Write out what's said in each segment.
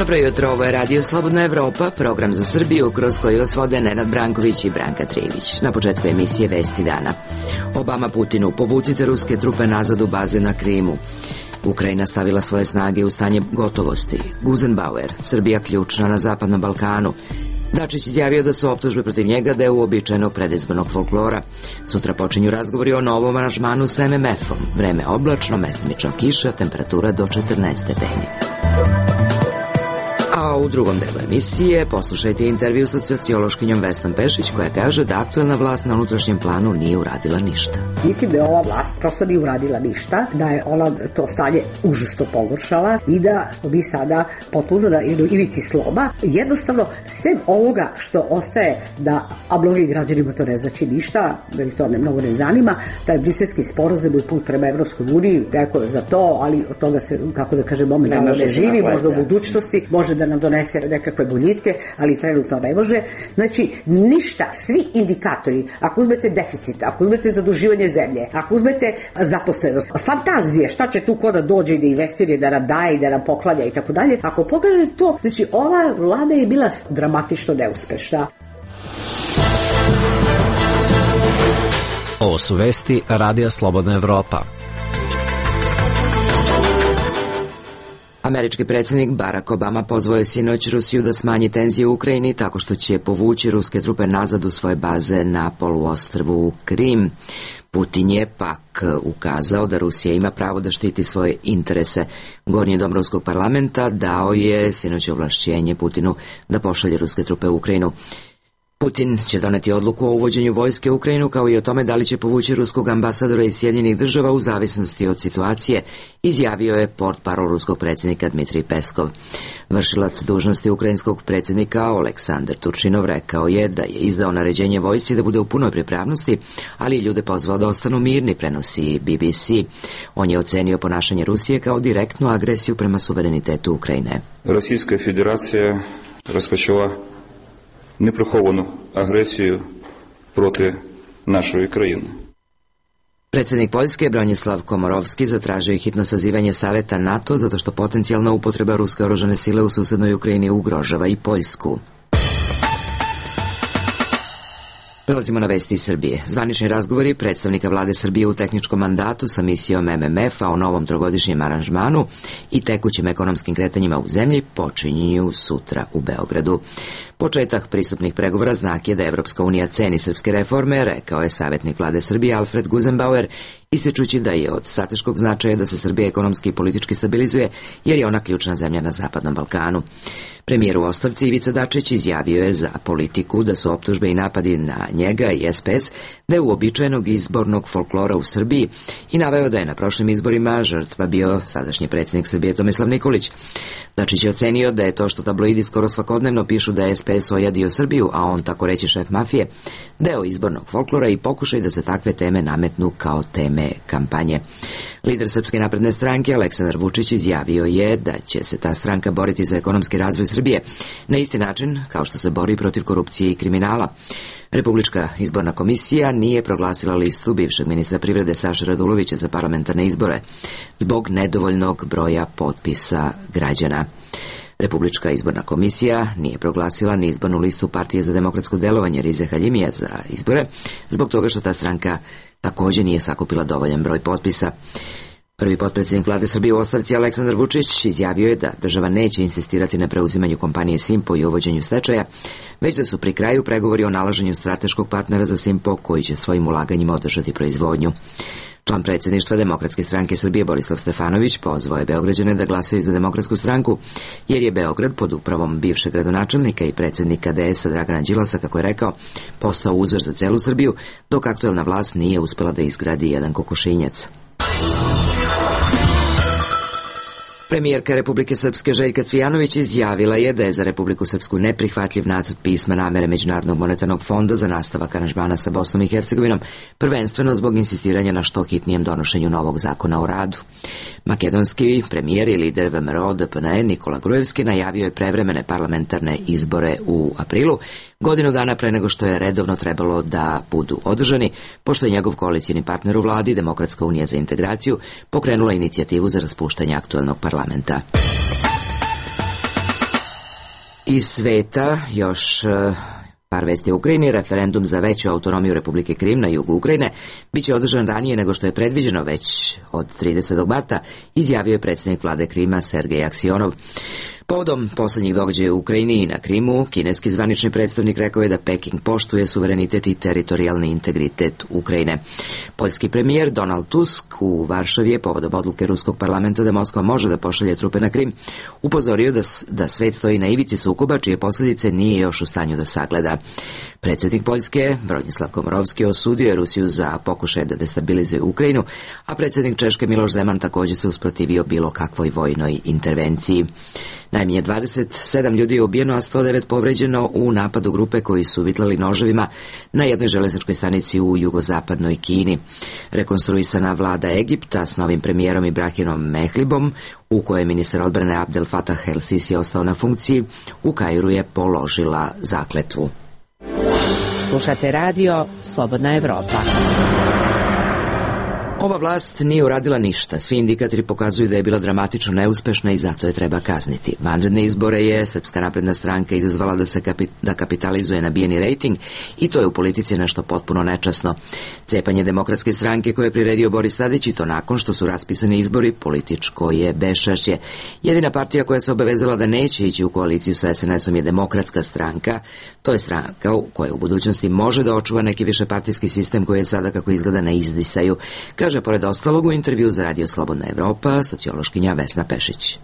Dobro jutro, ovo je Radio Slobodna Evropa, program za Srbiju kroz koji vas vode Nenad Branković i Branka Trivić. Na početku emisije Vesti dana. Obama Putinu, povucite ruske trupe nazad u baze na Krimu. Ukrajina stavila svoje snage u stanje gotovosti. Guzenbauer, Srbija ključna na Zapadnom Balkanu. Dačić izjavio da su optužbe protiv njega deo uobičajenog predizbornog folklora. Sutra počinju razgovori o novom aranžmanu sa MMF-om. Vreme oblačno, mestimično kiša, temperatura do 14 stepeni. A u drugom delu emisije poslušajte intervju sa sociološkinjom Vesnom Pešić koja kaže da aktuelna vlast na unutrašnjem planu nije uradila ništa. Mislim da je ova vlast prosto nije uradila ništa, da je ona to stanje užasno pogoršala i da mi sada potpuno na ivici sloma. Jednostavno, sem ovoga što ostaje da, a mnogim građanima to ne znači ništa, da ih to mnogo ne zanima, taj briselski sporazum i put prema Evropskoj uniji, neko je za to, ali od toga se, kako da kažem, momentalno ne živi, možda u budućnosti, može da nam donese nekakve boljitke, ali trenutno ne može. Znači, ništa, svi indikatori, ako uzmete deficit, ako uzmete zaduživanje zemlje, ako uzmete zaposlenost, fantazije, šta će tu ko da dođe i da investira, da nam daje i da nam poklanja i tako dalje, ako pogledate to, znači, ova vlada je bila dramatično neuspešna. Ovo su vesti Radija Slobodna Evropa. Američki predsjednik Barack Obama pozvao je sinoć Rusiju da smanji tenzije u Ukrajini tako što će povući ruske trupe nazad u svoje baze na poluostrvu Krim. Putin je pak ukazao da Rusija ima pravo da štiti svoje interese. Gornji dom ruskog parlamenta dao je sinoć ovlašćenje Putinu da pošalje ruske trupe u Ukrajinu. Putin će doneti odluku o uvođenju vojske u Ukrajinu kao i o tome da li će povući ruskog ambasadora iz Sjedinjenih Država u zavisnosti od situacije, izjavio je portparol ruskog predsjednika Dmitrij Peskov. Vršilac dužnosti ukrajinskog predsjednika Oleksandar Turčinov rekao je da je izdao naređenje vojsci da bude u punoj pripravnosti, ali ljude pozvao da ostanu mirni, prenosi BBC. On je ocenio ponašanje Rusije kao direktnu agresiju prema suverenitetu Ukrajine. Rosijska federacija rozpočela неприховану агресію проти нашої країни. Predsjednik Poljske Bronislav Komorovski zatražio je hitno sazivanje saveta NATO zato što potencijalna upotreba ruske oružane sile u susednoj Ukrajini ugrožava i Poljsku. Prelazimo na vesti iz Srbije. Zvanični razgovori predstavnika vlade Srbije u tehničkom mandatu sa misijom MMF-a o novom trogodišnjem aranžmanu i tekućim ekonomskim kretanjima u zemlji počinju sutra u Beogradu. Početak pristupnih pregovora znak je da Evropska unija ceni srpske reforme, rekao je savjetnik vlade Srbije Alfred Guzenbauer, ističući da je od strateškog značaja da se Srbija ekonomski i politički stabilizuje, jer je ona ključna zemlja na Zapadnom Balkanu. Premijer u ostavci Ivica Dačić izjavio je za Politiku da su optužbe i napadi na njega i SPS da je uobičajenog izbornog folklora u Srbiji i naveo da je na prošlim izborima žrtva bio sadašnji predsjednik Srbije Tomislav Nikolić. Dačić je ocenio da je to što tabloidi skoro svakodnevno pišu da je SPS ojadio Srbiju, a on tako reći šef mafije, deo izbornog folklora i pokušaj da se takve teme nametnu kao teme kampanje. Lider Srpske napredne stranke Aleksandar Vučić izjavio je da će se ta stranka boriti za ekonomski razvoj Srbije na isti način kao što se bori protiv korupcije i kriminala. Republička izborna komisija nije proglasila listu bivšeg ministra privrede Saše Radulovića za parlamentarne izbore zbog nedovoljnog broja potpisa građana. Republička izborna komisija nije proglasila ni izbornu listu Partije za demokratsko delovanje Rize Haljimija za izbore, zbog toga što ta stranka također nije sakupila dovoljan broj potpisa. Prvi potpredsjednik vlade Srbije u ostavci Aleksandar Vučić izjavio je da država neće insistirati na preuzimanju kompanije Simpo i uvođenju stečaja, već da su pri kraju pregovori o nalaženju strateškog partnera za Simpo koji će svojim ulaganjima održati proizvodnju. Član predsjedništva Demokratske stranke Srbije Borislav Stefanović pozvao je Beograđane da glasaju za Demokratsku stranku, jer je Beograd pod upravom bivšeg gradonačelnika i predsjednika DS-a Dragana Đilasa, kako je rekao, postao uzor za celu Srbiju, dok aktuelna vlast nije uspela da izgradi jedan kokošinjac. Premijerka Republike Srpske Željka Cvijanović izjavila je da je za Republiku Srpsku neprihvatljiv nacrt pisma namere Međunarodnog monetarnog fonda za nastavak aranžmana sa Bosnom i Hercegovinom, prvenstveno zbog insistiranja na što hitnijem donošenju novog zakona o radu. Makedonski premijer i lider VMRO DPN Nikola Grujevski najavio je prevremene parlamentarne izbore u aprilu, godinu dana pre nego što je redovno trebalo da budu održani, pošto je njegov koalicijni partner u vladi, Demokratska unija za integraciju, pokrenula inicijativu za raspuštanje aktuelnog parlamenta. Iz sveta još par vesti u Ukrajini. Referendum za veću autonomiju Republike Krim na jugu Ukrajine biće održan ranije nego što je predviđeno, već od 30. marta, izjavio je predsjednik vlade Krima Sergej Aksionov. Povodom poslednjih događaja u Ukrajini i na Krimu, kineski zvanični predstavnik rekao je da Peking poštuje suverenitet i teritorijalni integritet Ukrajine. Poljski premijer Donald Tusk u Varšavi je povodom odluke Ruskog parlamenta da Moskva može da pošalje trupe na Krim upozorio da svet stoji na ivici sukoba čije posljedice nije još u stanju da sagleda. Predsjednik Poljske Bronislav Komorovski osudio je Rusiju za pokušaj da destabilizuje Ukrajinu, a predsjednik Češke Miloš Zeman također se usprotivio bilo kakvoj vojnoj intervenciji. Najmanje 27 ljudi je ubijeno, a 109 povređeno u napadu grupe koji su vitlali noževima na jednoj železničkoj stanici u jugozapadnoj Kini. Rekonstruisana vlada Egipta s novim premijerom Ibrahinom Mehlibom, u kojoj je ministar odbrane Abdel Fattah el-Sisi ostao na funkciji, u Kairu je položila zakletvu. Slušate radio Slobodna Evropa. Ova vlast nije uradila ništa. Svi indikatori pokazuju da je bila dramatično neuspešna i zato je treba kazniti. Vanredne izbore je Srpska napredna stranka izazvala da kapitalizuje nabijeni rejting i to je u politici nešto potpuno nečasno. Cepanje Demokratske stranke koje je priredio Boris Tadić i to nakon što su raspisani izbori političko je beščašće. Jedina partija koja se obavezala da neće ići u koaliciju sa SNS-om je Demokratska stranka. To je stranka koja u budućnosti može da očuva neki višepartijski sistem koji je sada kako izgleda na izdisaju, kaže pored ostalog u intervju za Radio Slobodna Evropa sociološkinja Vesna Pešić.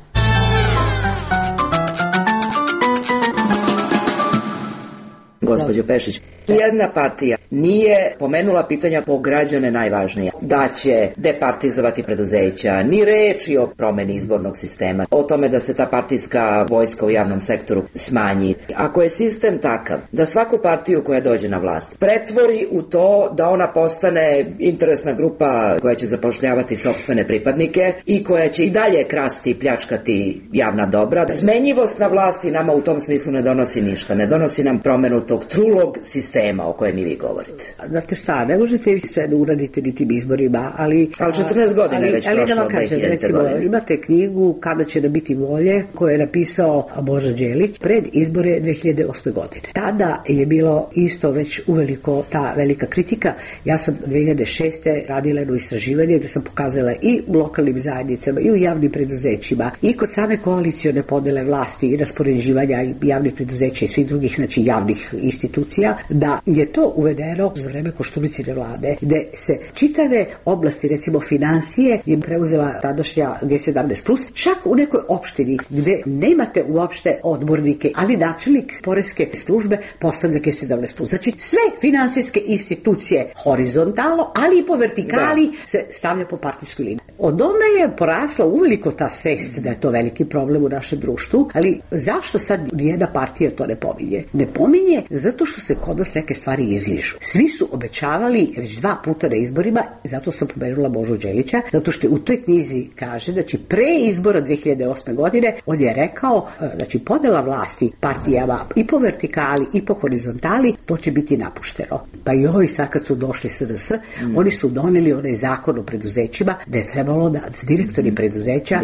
Gospođo Pešić, jedna partija nije pomenula pitanja po građane najvažnija. Da će departizovati preduzeća, ni reči o promeni izbornog sistema, o tome da se ta partijska vojska u javnom sektoru smanji. Ako je sistem takav da svaku partiju koja dođe na vlast pretvori u to da ona postane interesna grupa koja će zapošljavati sopstvene pripadnike i koja će i dalje krasti i pljačkati javna dobra, smenjivost na vlasti nama u tom smislu ne donosi ništa. Ne donosi nam promenu tog trulog sistema o kojem i vi govorite. Znate šta, ne možete vi sve da uradite ni tim izborima, ali 14 godina je već prošlo od 2000. godine. Imate knjigu Kada će da biti volje, koju je napisao Boža Đelić pred izbore 2008. godine. Tada je bilo isto već uveliko ta velika kritika. Ja sam 2006. radila jedno istraživanje gde sam pokazala i u lokalnim zajednicama i u javnim preduzećima i kod same koalicione podele vlasti i raspoređivanja javnih preduzeća i svih drugih, znači javnih institucija, da je to uvedeno za vreme Koštunicine vlade, gde se čitave oblasti, recimo financije, je preuzela tadašnja G17+, čak u nekoj opštini gde nemate uopšte odbornike, ali načelnik poreske službe postavlja G17+. Znači sve finansijske institucije horizontalno, ali i po vertikali se stavlja po partijskoj liniji. Od onda je porasla uveliko ta svest da je to veliki problem u našem društvu, ali zašto sad nijedna partija to ne pominje? Ne pominje zato što se kod nas neke stvari izližu. Svi su obećavali već 2 puta na izborima, zato sam pomenula Božu Đelića, zato što u toj knjizi kaže da će pre izbora 2008. godine on je rekao, znači podela vlasti partijama i po vertikali i po horizontali, to će biti napušteno. Pa i ovi sad kad su došli SDS, oni su doneli onaj zakon o preduzećima da je trebalo da direktori preduzeća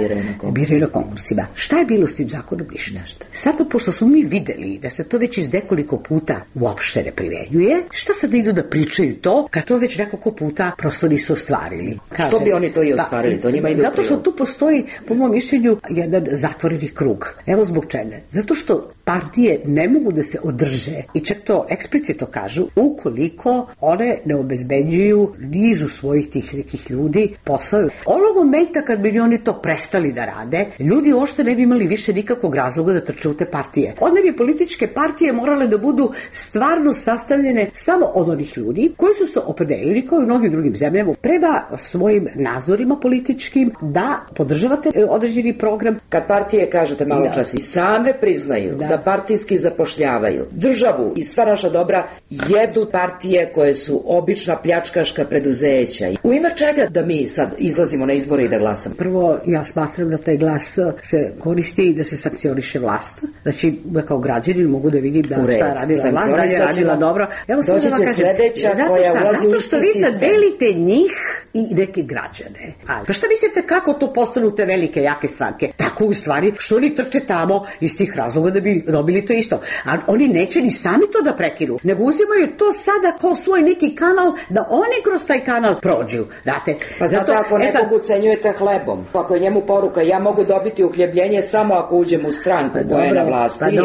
biraju na konkursima. Šta je bilo s tim zakonom? Ništa. Sada, pošto smo mi videli da se to već iz nekoliko puta uopšte ne primenjuje, šta sad idu da pričaju to, kad to već nekoliko puta prosto nisu ostvarili? Kaže, što bi oni to i ostvarili? To njima ide zato što tu postoji, po mom mišljenju, jedan zatvoreni krug. Evo zbog čega. Zato što partije ne mogu da se održe, i čak to eksplicitno kažu, ukoliko one ne obezbeđuju nizu svojih tih nekih ljudi posao. Onog momenta kad bi oni to prestali da rade, ljudi uopšte ne bi imali više nikakvog razloga da trče u te partije. Onda bi političke partije morale da budu stvarno sastavljene samo od onih ljudi koji su se opredelili, kao i u mnogim drugim zemljama, prema svojim nazorima političkim da podržavate određeni program. Kad partije, kažete malo čas, i same priznaju da partijski zapošljavaju državu i sva naša dobra, jedu partije koje su obična pljačkaška preduzeća. U ime čega da mi sad izlazimo na izbore i da glasamo? Prvo, ja smatram da taj glas se koristi i da se sankcioniše vlast. Znači, da kao građanin mogu da vidim da šta je radila vlast, da je radila dobro. Doći će sledeća koja ulazi u isti sistem. Zato što vi sad delite njih i neke građane. Pa šta mislite kako to postanu te velike, jake stranke? Tako Tako u stvari što oni trče tamo iz tih razloga da bi dobili to isto. A oni neće ni sami to da prekinu, nego uzimaju to sada kao svoj neki kanal da oni kroz taj kanal prođu. Znate, pa zato ako nekog ucenjujete hlebom, ako je njemu poruka ja mogu dobiti uhljebljenje samo ako uđem u stranku koja je na vlasti,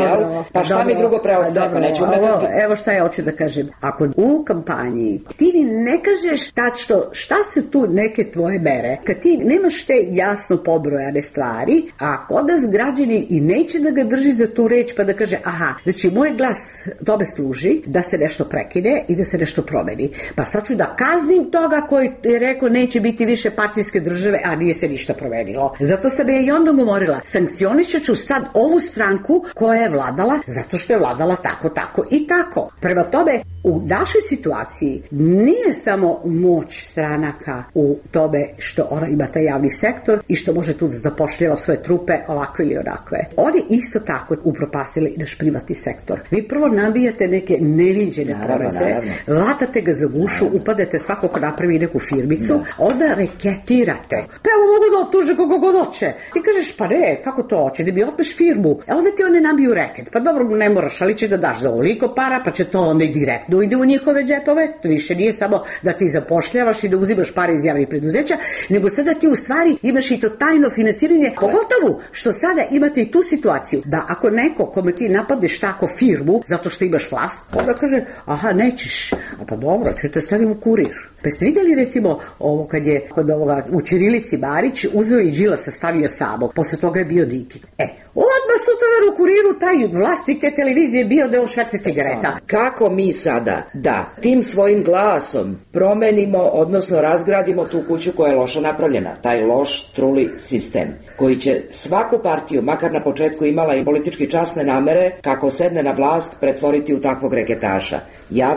pa šta mi drugo preostaje, pa neću umretati. Evo šta ja hoću da kažem. Ako u kampanji ti ne kažeš tačno šta su tu neke tvoje mere, kad ti nemaš te jasno pobrojane stvari, a kod nas građani i neće da ga drži za tu reč pa da kaže aha, znači moj glas tome služi da se nešto prekine i da se nešto promeni. Pa sad ću da kaznim toga koji je rekao neće biti više partijske države, a nije se ništa promenilo. Zato sam ja i onda govorila, sankcionišat ću sad ovu stranku koja je vladala zato što je vladala tako, tako i tako. Prema tome, u našoj situaciji nije samo moć stranaka u tome što ona ima taj javni sektor i što može tu da zapošljava svoje trupe ovakve ili onakve. Oni isto tako upropastili i naš privatni sektor. Vi prvo nabijate neke neviđene poreze, latate ga za gušu, upadete svako ko napravi neku firmicu, onda reketirate. Pa evo mogu da optuže kogo god hoće. Ti kažeš pa ne, kako to hoće, da mi otmeš firmu. Onda ti one nabiju reket. Pa dobro, ne moraš, ali će da daš za ovoliko para, pa će to onda i direktno ide u njihove džepove. To više nije samo da ti zapošljavaš i da uzimaš pare iz javnih preduzeća, nego sada ti u stvari imaš i to tajno finansiranje, pogotovo što sada imate i tu situaciju da ako neko kome ti napadneš tako firmu zato što imaš vlast, onda kaže aha nećeš, a pa dobro, ću te stavim u kurir. Pa ste vidjeli recimo ovo kad je kod ovoga u ćirilici Marić uzeo i Đilasa stavio samog, posle toga je bio Diki. Odmah sutradan u kuriru taj vlasnik te televizije bio da je šverce cigareta. Kako mi sada da tim svojim glasom promenimo, odnosno razgradimo tu kuću koja je loša napravljena, taj loš truli sistem koji će svaku partiju, makar na početku imala i politički časne namere, kako sedne na vlast, pretvoriti u takvog reketaša.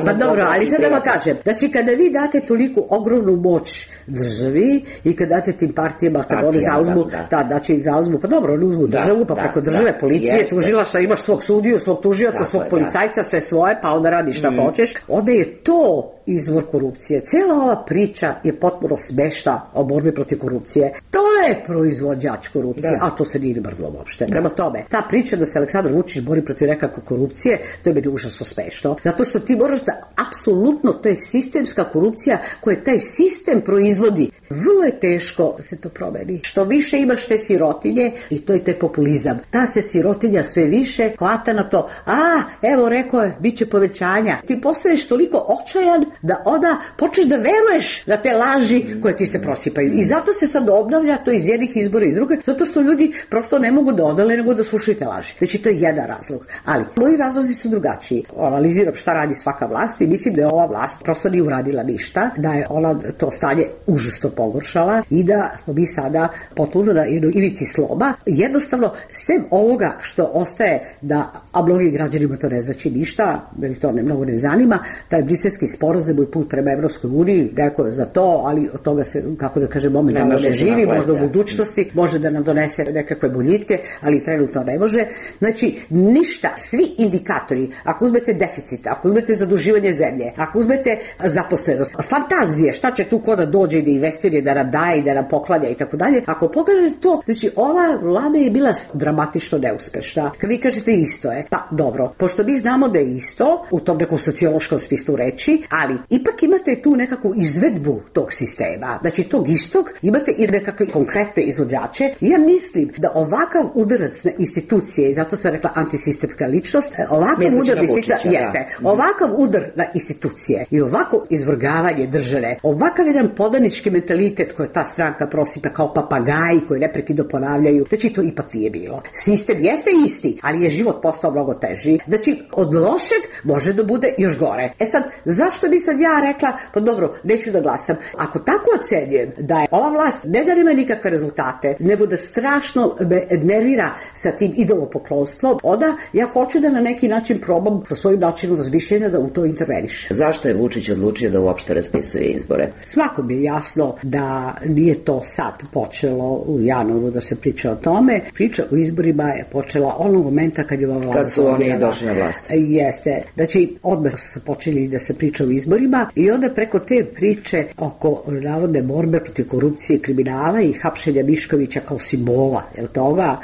Pa dobro, ali sad da vam kažem, znači kada vi date toliko ogromnu moć državi i kada date tim partijama, kada oni zauzmu, znači zauzmu, pa dobro, oni uzmu državu, pa preko države, policije, tužilaštva, imaš svog sudiju, svog tužioca, svog policajca, sve svoje, pa onda radiš šta hoćeš, onda je to izvor korupcije. Cijela ova priča je potpuno smešna o borbi protiv korupcije. To je proizvođač korupcije, a to se nije mrdlo uopšte. Prema tome, ta priča da se Aleksandar Vučić bori protiv nekakve korupcije, to je meni užasno smešno. Zato što ti moraš da apsolutno, to je sistemska korupcija koja taj sistem proizvodi. Vrlo je teško da se to promeni. Što više imaš te sirotinje i to je taj populizam. Ta se sirotinja sve više hvata na to. Evo rekao je, bit će povećanja. Ti postaješ toliko očajan da onda počneš da veruješ na te laži koje ti se prosipaju. I zato se sad obnavlja to iz jednih izbora i iz druge, zato što ljudi prosto ne mogu da odale nego da slušaju te laži. Znači to je jedan razlog. Ali moji razlozi su drugačiji. Analiziram šta radi svaka vlast i mislim da je ova vlast prosto nije uradila ništa, da je ona to stanje užasno pogoršala i da smo mi sada potpuno na jednoj ivici sloma. Jednostavno, sem ovoga što ostaje a mnogim građanima to ne znači ništa, jer to mnogo ne zanima, taj briselski sporazum i put prema Evropskoj uniji, neko je za to, ali od toga se, kako da kažem, momentalno ne živi, možda u budućnosti, može da nam donese nekakve boljitke, ali trenutno ne može. Znači, ništa, svi indikatori, ako uzmete deficit, ako uzmete zaduživanje zemlje, ako uzmete zaposlenost, fantazije, šta će tu ko da dođe i da investira, da nam daje i da nam poklanja i tako dalje, ako pogledate to, znači ova vlada je bila dramatično neuspešna. Kad vi kažete isto je, pa dobro, pošto mi znamo da je isto, u tom nekom sociološkom smislu reči, ali ipak imate tu nekakvu izvedbu tog sistema. Znači tog istog imate i nekakve konkretne izvođače. Ja mislim da ovakav udarac na institucije, i zato sam rekla antisistemska ličnost, ovakav udar na institucije i ovako izvrgavanje države, ovakav jedan podanički mentalitet koji ta stranka prosipa kao papagaji koji neprekidno ponavljaju, znači to ipak nije bilo. Sistem jeste isti, ali je život postao mnogo teži. Znači od lošeg može da bude još gore. Sad, zašto bi sad ja rekla, pa dobro, neću da glasam. Ako tako ocenjujem da je ova vlast ne da nema nikakve rezultate, nego da strašno me nervira sa tim idolopoklonstvom, onda ja hoću da na neki način probam sa svojim načinom razmišljenja da u to interveniš. Zašto je Vučić odlučio da uopšte raspisuje izbore? Svakom je jasno da nije to sad počelo u januaru da se priča o tome. Priča o izborima je počela onog momenta kad je ova vlada... Kad su oni došli na vlast. Jeste. Znači, odmah su počeli da se priča o izborima. izborima i onda preko te priče oko navodne borbe protiv korupcije i kriminala i hapšenja Miškovića kao simbola, toga,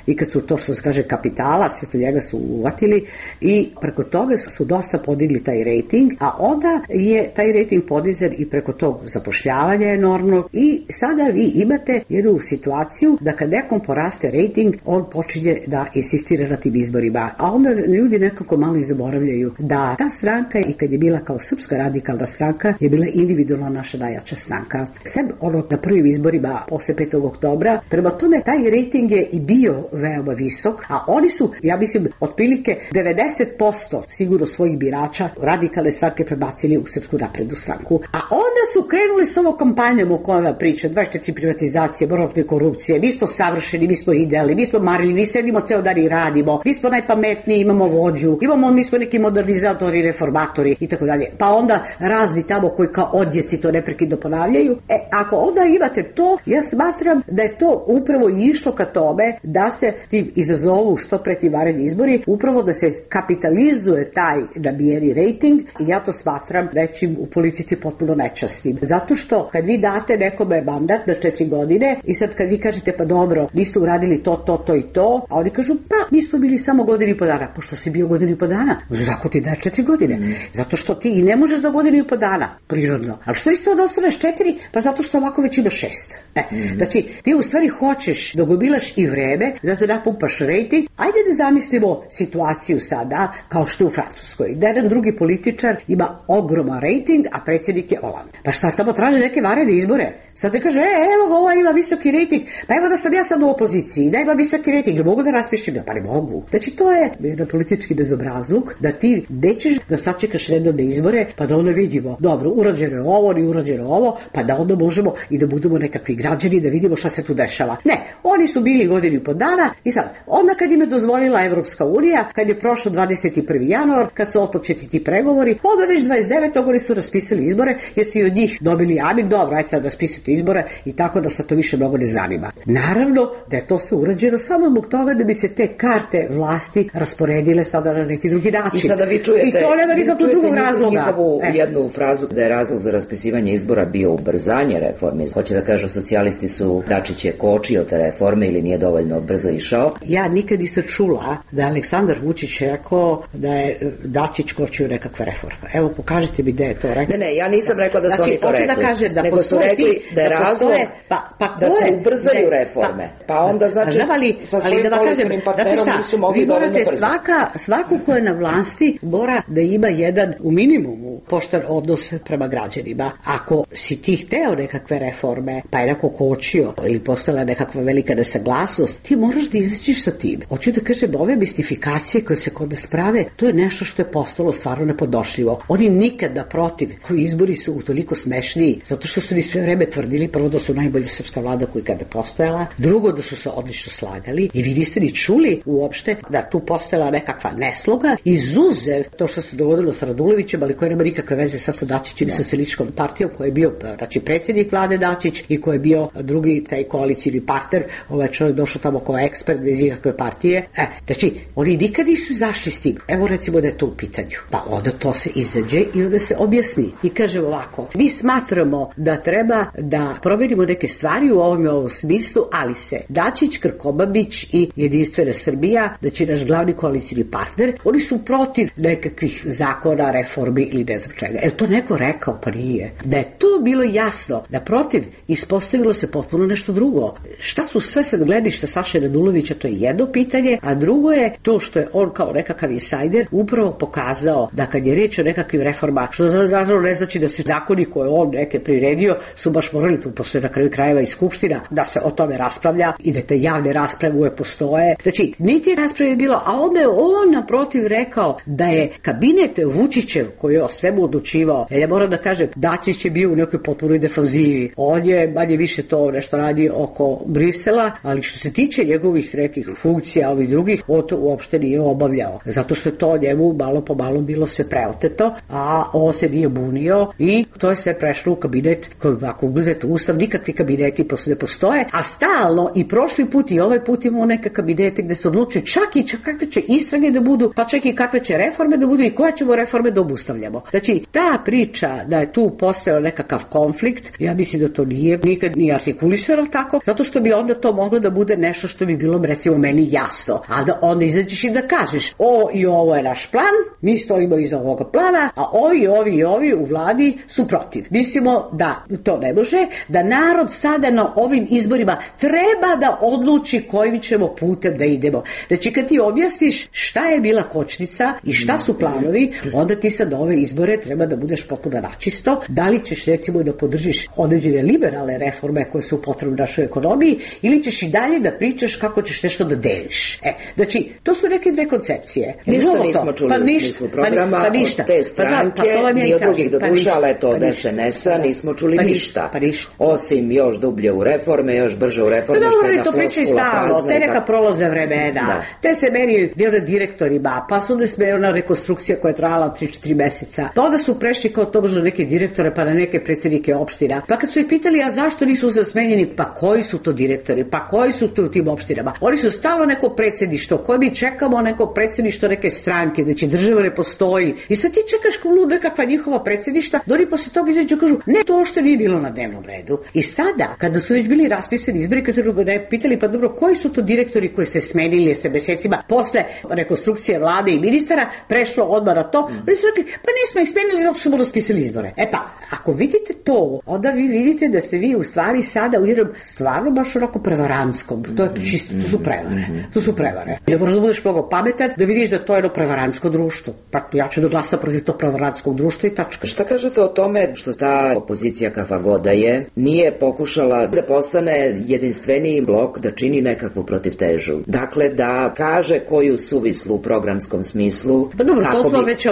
i kad su to što se kaže kapitala, sve to njega su uvatili i preko toga su dosta podigli taj rejting, a onda je taj rejting podizan i preko tog zapošljavanja enormnog i sada vi imate jednu situaciju da kad nekom poraste rejting, on počinje da insistira na tim izborima, a onda ljudi nekako malo i zaboravljaju da ta stranka i kad je bila kao Srpska radikalna stranka je bila individualno naša najjača stranka. Sem na prvim izborima posle 5. oktobra, prema tome taj rejting je i bio veoma visok, a oni su, ja mislim, otprilike 90% sigurno svojih birača radikalne stranke prebacili u Srpsku naprednu stranku. A onda su krenuli s ovom kampanjom o kojoj vam priča, 24 privatizacije, borba protiv korupcije, mi smo savršeni, mi smo idealni, mi smo marljivi, mi sedimo ceo dan i radimo, mi smo najpametniji, imamo vođu, mi smo neki modernizatori, reformatori i tako dalje. Pa onda razni tamo koji kao odjeci to neprekidno ponavljaju. Ako onda imate to, ja smatram da je to upravo išlo ka tome da se tim izazovu što pre ti vanredni izbori, upravo da se kapitalizuje taj nabijeni rejting i ja to smatram nečim u politici potpuno nečasnim. Zato što kad vi date nekome mandat na 4 godine i sad kad vi kažete pa dobro, niste uradili to i to, a oni kažu pa mi smo bili samo godinu i po dana. Pošto si bio godinu i po dana, zako ti daje 4 godine? Zato što ti i ne možeš za godinu i po dana, prirodno. Ali što isto da ostaneš 4? Pa zato što ovako već ima 6. Znači, ti u stvari hoćeš da gomilaš i vreme, da se napumpaš rejting. Ajde da zamislimo situaciju sada, kao što je u Francuskoj, da jedan drugi političar ima ogroman rejting, a predsjednik je Hollande. Pa šta tamo traže neke vanredne izbore? Sad te kaže, evo ga, ova ima visoki rejting, pa evo da sam ja sad u opoziciji, da ima visoki rejting, ne mogu da raspišem, pa ne mogu. Znači, to je jedan politički bezobrazluk, da ti nećeš da sačekaš redovne izbore, pa da onda vidimo, dobro, urađeno je ovo, ni urađeno ovo, pa da onda možemo i da budemo nekakvi građani, da vidimo šta se tu dešava. Ne, oni su bili godinu i po dana i sad, onda kad im je dozvolila Evropska unija, kad je prošlo 21. januar, kad su otpočeti ti pregovori, onda već 29. oni su raspisali izbore, jer su i od njih dobili amin, dobro, ajde sad raspisati izbore i tako da se to više mnogo ne zanima. Naravno da je to sve urađeno samo zbog toga da bi se te karte vlasti rasporedile sada na neki drugi način. I sada vi čujete, i to nema nikakvog drugog razloga. Njihovu jednu frazu da je razlog za raspisivanje izbora bio ubrzanje reforme. Hoće da kažu socijalisti su Dačić je kočio te reforme ili nije dovoljno brzo išao. Ja nikad nisam čula da Aleksandar Vučić rekao da je Dačić kočio nekakve reforme. Evo, pokažite mi gde je to rekao. Ne, ja nisam rekla da su oni to rekli. Da kaže da nego su rekli da je razlog da se ubrzaju reforme. Pa onda znači sa svojim koalicionim partnerom nisu mogli dovoljno brzo. Svako ko je na vlasti mora da ima jedan u minimumu pošten odnos prema građanima. Ako si ti hteo nekakve reforme, pa je neko kočio ili postala nekakva velika nesaglasnost, ti moraš da izađeš sa tim. Hoću da kažem, ove mistifikacije koje se kod nas prave, to je nešto što je postalo stvarno nepodnošljivo. Oni nikad naprotiv, koji izbori su utoliko smešniji, zato što su ni sve vreme tvrdili, prvo da su najbolja srpska vlada koja kada postojala, drugo da su se odlično slagali i vi niste ni čuli uopšte da tu postojala nekakva nesloga, izuzev to što se dogodilo sa Radulovićem, ali koje nema nikakve veze sa Dačićem i socijalističkom partijom, koji je bio predsjednik vlade Dačić i koji je bio drugi taj koalicijni partner, ovaj čovjek došao tamo kao ekspert bez ikakve partije. Znači, oni nikad nisu zašli s tim. Evo recimo da je to u pitanju. Pa onda to se izađe i onda se objasni. I kaže ovako, mi smatramo da treba da promenimo neke stvari u ovom smislu, ali se Dačić, Krkobabić i Jedinstvena Srbija, da će naš glavni koalicijni partner, oni su protiv nekakvih zakona, reformi ili ne znam čega. To neko rekao? Pa nije. Da je to bilo jasno, naprotiv, ispostavilo se potpuno nešto drugo. Šta su sve sad gledišta Saše Radulovića, to je jedno pitanje, a drugo je to što je on kao nekakav insajder upravo pokazao da kad je reč o nekakvim reformama, što naravno ne znači da se zakoni koje on neke priredio su baš morali, tu postoje na kraju krajeva i skupština, da se o tome raspravlja i da te javne rasprave uvek postoje. Znači, niti rasprave je bilo, a onda je on naprotiv rekao da je kabinet Vučićev koji je o svemu odlučivao, ja moram da kažem, Dačić je bio u nekoj potpunoj defanzivi. On je manje više to nešto radi oko Brisela, ali što se tiče njegovih nekih funkcija, ovih drugih, on to uopšte nije obavljao. Zato što je to njemu malo po malo bilo sve preoteto, a on se nije bunio i to je sve prešlo u kabinet koji, ako ugledate ustav, nikakvi kabineti ne postoje, a stalno i prošli put i ovaj put imamo neke kabinete gde se odlučuju čak i kakve će istrage da budu, pa čak i kakve će reforme da budu i koje ćemo reforme da obustavljamo. idemo. Znači, ta priča da je tu postojao nekakav konflikt, ja mislim da to nije nikad ni artikulisano tako, zato što bi onda to moglo da bude nešto što bi bilo, recimo, meni jasno. A da onda izađeš i da kažeš, ovo je naš plan, mi stojimo iza ovoga plana, a ovi u vladi su protiv. Mislimo da to ne može, da narod sada na ovim izborima treba da odluči kojim ćemo putem da idemo. Znači, kad ti objasniš šta je bila kočnica i šta su planovi, onda ti sad ove izbore treba da budeš potpuno načisto. Da li ćeš, recimo, da podržiš određene liberalne reforme koje su potrebne našoj ekonomiji, ili ćeš i dalje da pričaš kako ćeš nešto da deliš. Znači, to su neke dve koncepcije. Ništa nismo čuli u smislu programa od te stranke, ni od drugih doduša, ali to od SNS-a nismo čuli ništa. Osim još dublje u reforme, još brže u reforme, što je jedna floskula prazna. Te neka prolaze vremena, te se meni direktorima, pa su onda smejena rekonstrukcija koja je trajala 3-4 meseca, pa onda su prešli kao tobožno neke direktore, pa na neke predsjednike opština. Pa kad su ih pitali, a zašto nisu smenjeni, pa koji su to direktori, pa koji su to u tim opštinama? Oni su stalo neko predsjedništvo, koje mi čekamo neko predsjedništvo neke stranke, znači država ne postoji. I sad ti čekaš kao luda kakva njihova predsjedništva, da oni posle toga izađu i kažu, ne, to što nije bilo na dnevnom redu. I sada, kada su već bili raspisani izbori, kad su pitali, pa dobro, koji su to direktori koji se smenili se mesecima posle rekonstrukcije vlade i ministara, prešlo odmah na to, oni su rekli, pa nismo ih smenili zato što smo raspisali izbore. E pa, ako vidite to, onda vi vidite da ste vi u stvari sada u jednom stvarno baš onako prevarantskom. To je čisto, to su prevare. Da moraš da budeš mnogo pametan, da vidiš da to je jedno prevarantsko društvo. Pa ja ću da glasa protiv tog prevarantskog društva i tačka. Šta kažete o tome što ta opozicija kakva god da je, nije pokušala da postane jedinstveniji blok, da čini nekakvu protivtežu? Dakle, da kaže koju suvislu u programskom smislu. Pa dobro, to smo već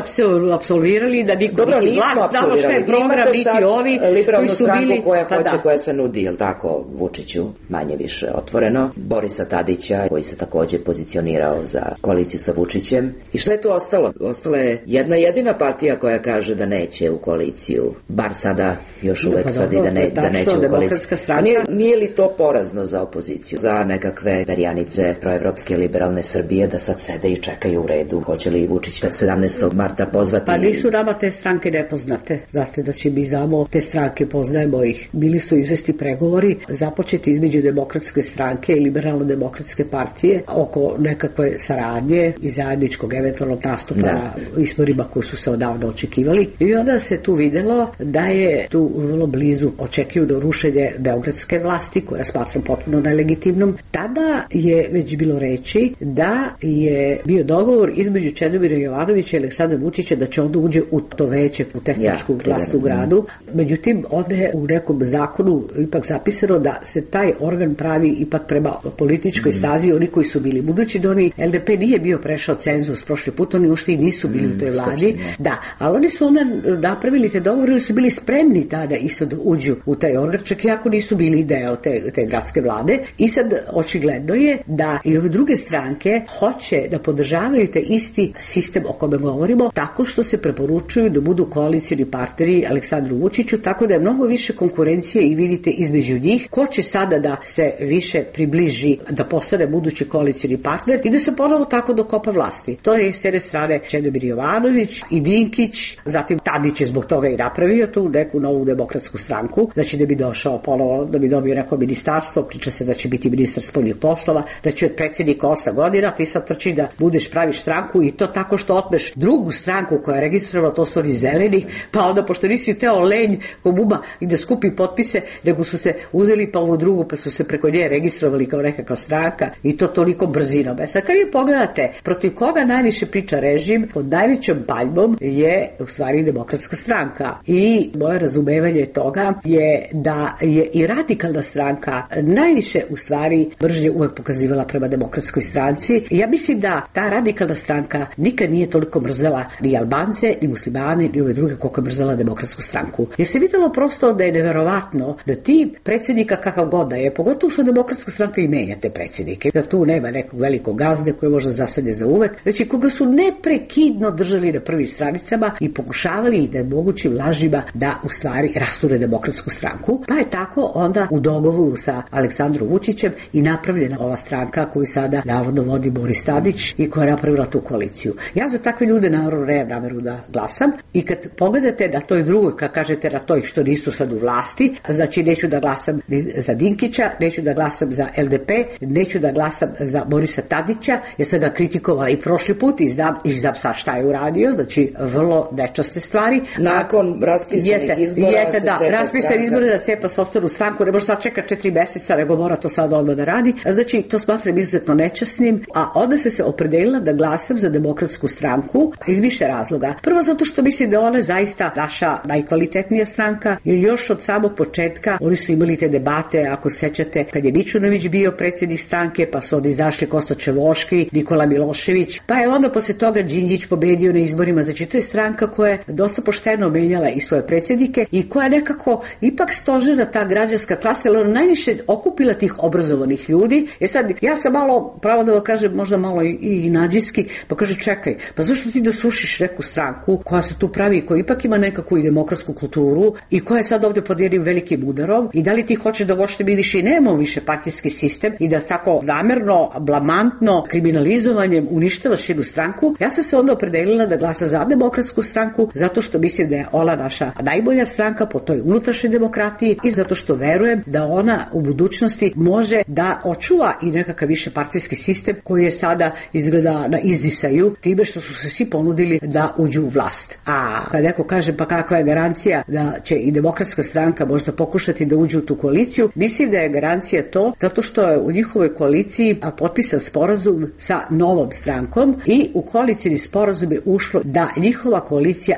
apsolvirali, da niko niti glas znamo šta je program, niti ovi liberalnu stranku koja hoće, koja se nudi, jel tako, Vučiću, manje više otvoreno, Borisa Tadića, koji se takođe pozicionirao za koaliciju sa Vučićem. I šta je tu ostalo? Ostala je jedna jedina partija koja kaže da neće u koaliciju, bar sada još uvek tvrdi da neće u koaliciju. A nije li to porazno za opoziciju, za nekakve perjanice proevropske liberalne Srbije, da sad sede i čekaju u redu? Hoće li Vučić 17. marta pozvati? Pa nisu nama te stranke nepoznate. Znate da će mi znamo te stranke, poznajemo ih. Bili su izvesti pregovori započeti između Demokratske stranke i Liberalno-demokratske partije oko nekakve saradnje i zajedničkog eventualnog nastupa na izborima koji su se odavno očekivali. I onda se tu videlo da je tu vrlo blizu očekivano rušenje beogradske vlasti, koja smatram potpuno nelegitimnom. Tada je već bilo reči da je bio dogovor između Čedomira Jovanovića i Aleksandra Vučića da će onda uđe u to veće, u tehničku vlast u gradu. Međutim, onda je u nekom zakonu ipak zapisano da se taj organ pravi ipak prema političkoj stazi oni koji su bili. Budući da oni, LDP nije bio prešao cenzus prošli put, oni uopšte i nisu bili u toj vladi. Da, ali oni su onda napravili te dogovore i su bili spremni tada isto da uđu u taj organ, čak i ako nisu bili deo te gradske vlade. I sad očigledno je da i ove druge stranke hoće da podržavaju taj isti sistem o kome govorimo, tako što se preporučuju da budu koalicioni partneri Aleksandru Vučiću, tako da je mnogo više konkurencije i vidite između njih ko će sada da se više približi da postane budući koalicioni partner i da se ponovo tako dokopa vlasti. To je s jedne strane Čedomir Jovanović i Dinkić, zatim Tadić je zbog toga i napravio tu neku novu demokratsku stranku, znači da bi došao ponovo, da bi dobio neko ministarstvo, priča se da će biti ministar spoljnih poslova, da će od predsjednika 8 godina, ti sad trči da budeš praviš stranku i to tako što otmeš drugu stranku koja je registrovala, to su oni zeleni, pa onda pošto nisi teo lenj ko buba i da skupi potpise, nego su se uzeli pa ovu drugu, pa su se preko nje registrovali kao nekakva stranka i to toliko brzinom. Sad kad vi pogledate protiv koga najviše priča režim, pod najvećom paljbom je u stvari Demokratska stranka i moje razumevanje toga je da je i radikalna stranka najviše u stvari mržnje uvek pokazivala prema Demokratskoj stranci. Ja mislim da ta radikalna stranka nikad nije toliko mrzela ni Albance, ni muslimane, ni ove druge koliko je mrzela Demokratsku stranku. Jer se videlo prosto da je neverovatno da ti predsjednika kakav god da je, pogotovo što Demokratska stranka i menja te predsjednike, da tu nema nekog velikog gazde koji možda zasade za uvek, znači koga su neprekidno držali na prvim stranicama i pokušavali da mogućim lažima da u stvari rasture Demokratsku stranku, pa je tako onda u dogovoru sa Aleksandrom Vučićem i napravljena ova stranka koju sada navodno vodi Boris Tadić i koja je napravila tu koaliciju. Ja za takve ljude naravno nemam nameru da glasam i kad pogledate da toj drugoj, kad kažete na toj što nisu sad u vlasti, znači neću da glasam za Dinkića, neću da glasam za LDP, neću da glasam za Borisa Tadića, jer sam ga kritikovala i prošli put i znam sad šta je uradio, znači vrlo nečasne stvari. Nakon raspisanih izbora jeste, da, raspisan izbora da cepa sopstvenu stranku, ne može sad čeka 4 meseca, nego mora to sad odmah da radi. Znači, to smatram izuzetno nečasnim, a onda se opredelila da glasam za Demokratsku stranku iz više razloga. Prvo zato što mislim da ona je zaista naša najkvalitetnija stranka, jer još od samog početka oni su imali te debate, ako sećate, kad je Mićunović bio predsjednik stranke, pa su onda izašli Kosta Čevoški, Nikola Milošević, pa je onda posle toga Đinđić pobedio na izborima. Znači, to je stranka koja je dosta pošteno menjala i svoje predsjednike i koja je nekako ipak stožena ta građanska klasa, jer ona najviše okupila tih obrazovanih ljudi. Sad, ja sam malo, pravo da kažem, možda malo i nađiski, pa kaže, čekaj, pa zašto ti da srušiš neku stranku koja se tu pravi i koja ipak ima nekakvu i demokratsku kulturu i koja je sad ovdje pod jednim velikim udarom i da li ti hoćeš da uopšte mi više i nemamo više partijski sistem i da tako namerno, blamantno, kriminalizovanjem uništavaš jednu stranku? Ja sam se onda opredelila da glasa za Demokratsku stranku zato što mislim da je ona naša najbolja stranka po toj unutrašnjoj demokratiji i zato što verujem da ona u budućnosti može da očuva i nekakav više partijski sistem koji je sada izgleda na izdisaju time što su se svi ponudili da uđu u vlast. A kad neko kaže pa kakva je garancija da će i Demokratska stranka možda pokušati da uđe u tu koaliciju, mislim da je garancija to zato što je u njihovoj koaliciji potpisan sporazum sa Novom strankom i u koalicijni sporazum je ušlo da njihova koalicija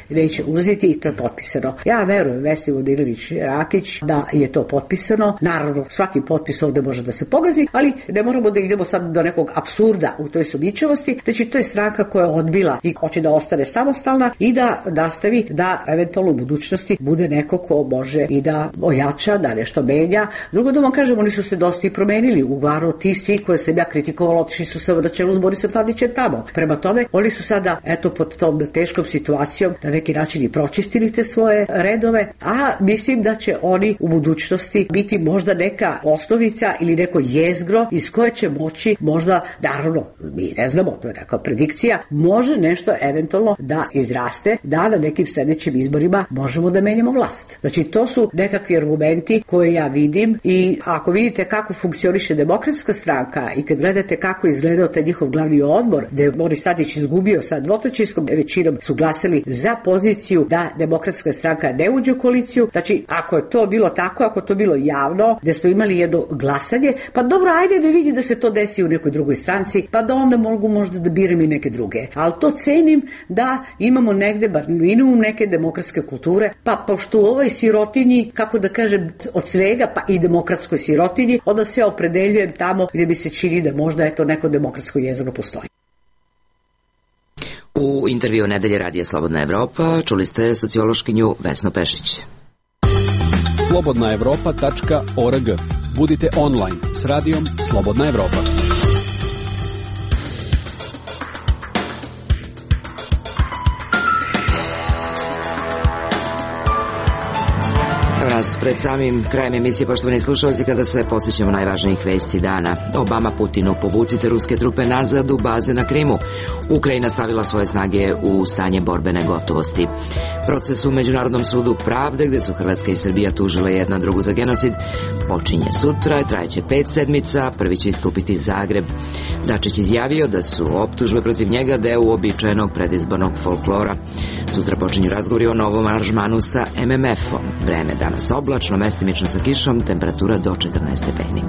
neće ulaziti i to je potpisano. Ja verujem Vesni Vodinelić-Rakić da je to potpisano. Naravno, svaki potpis ovde može da se pogazi, ali ne moramo da idemo sad do nekog apsurda u toj sumnjičavosti. Znači, to je stranka koja je odbila i hoće da ostane samostalna i da nastavi da eventualno u budućnosti bude neko ko može i da ojača, da nešto menja. Drugo da vam kažem, oni su se dosta i promenili. Uglavnom, ti svi koje sam ja kritikovala, otišli su se na čelu s Borisom Tadićem tamo. Prema tome, oni su sada, pod tom teškom situacijom na neki način i pročistili te svoje redove, a mislim da će oni u budućnosti biti možda neka osnovica ili neko jezgro iz koje će moći možda, naravno, mi ne znamo, to je neka predikcija, može nešto eventualno da izraste, da na nekim sljedećim izborima možemo da menjamo vlast. Znači, to su nekakvi argumenti koje ja vidim i ako vidite kako funkcioniše Demokratska stranka i kad gledate kako izgledao taj njihov glavni odbor, gde je Boris Tadić izgubio sa dvotrećinskom većinom, su glasali za poziciju da Demokratska stranka ne uđe u koaliciju. Znači, ako je to bilo tako, ako to bilo javno, gde smo imali jedno glasanje, pa dobro, ajde da vidi da se to desi u nekoj drugoj stranci, pa da onda mogu možda da biram i neke druge. Ali to cenim da imamo negde, bar minimum neke demokratske kulture, pa pošto u ovoj sirotinji, kako da kažem, od svega, pa i demokratskoj sirotinji, onda se opredeljujem tamo gde bi se čini da možda neko demokratsko jezero postoji. U intervju Nedelje radija Slobodna Evropa čuli ste sociološkinju Vesnu Pešić. slobodnaevropa.org. Budite online s radijom Slobodna Evropa. Nas pred samim krajem emisije, poštovani slušalci, kada se podsjećamo najvažnijih vesti dana. Obama Putinu: povucite ruske trupe nazad u baze na Krimu. Ukrajina stavila svoje snage u stanje borbene gotovosti. Proces u Međunarodnom sudu pravde, gde su Hrvatska i Srbija tužile jedna drugu za genocid, počinje sutra, trajeće 5 sedmica, prvi će istupiti Zagreb. Dačić izjavio da su optužbe protiv njega deo uobičajenog predizbornog folklora. Sutra počinju razgovori o novom aranžmanu sa MMF-om. Vreme danas oblačno, mestimično sa kišom, temperatura do 14 stepeni.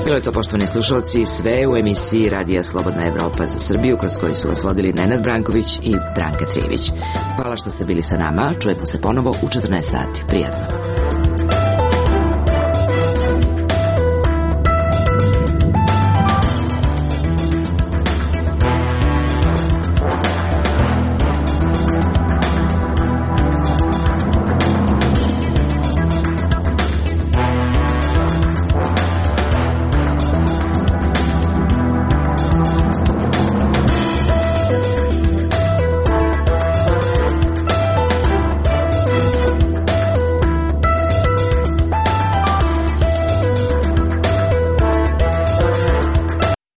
Bilo je to, poštovani slušalci, sve u emisiji Radija Slobodna Evropa za Srbiju, kroz koju su vas vodili Nenad Branković i Branka Trijević. Hvala što ste bili sa nama, čujemo se ponovo u 14 sati. Prijatno.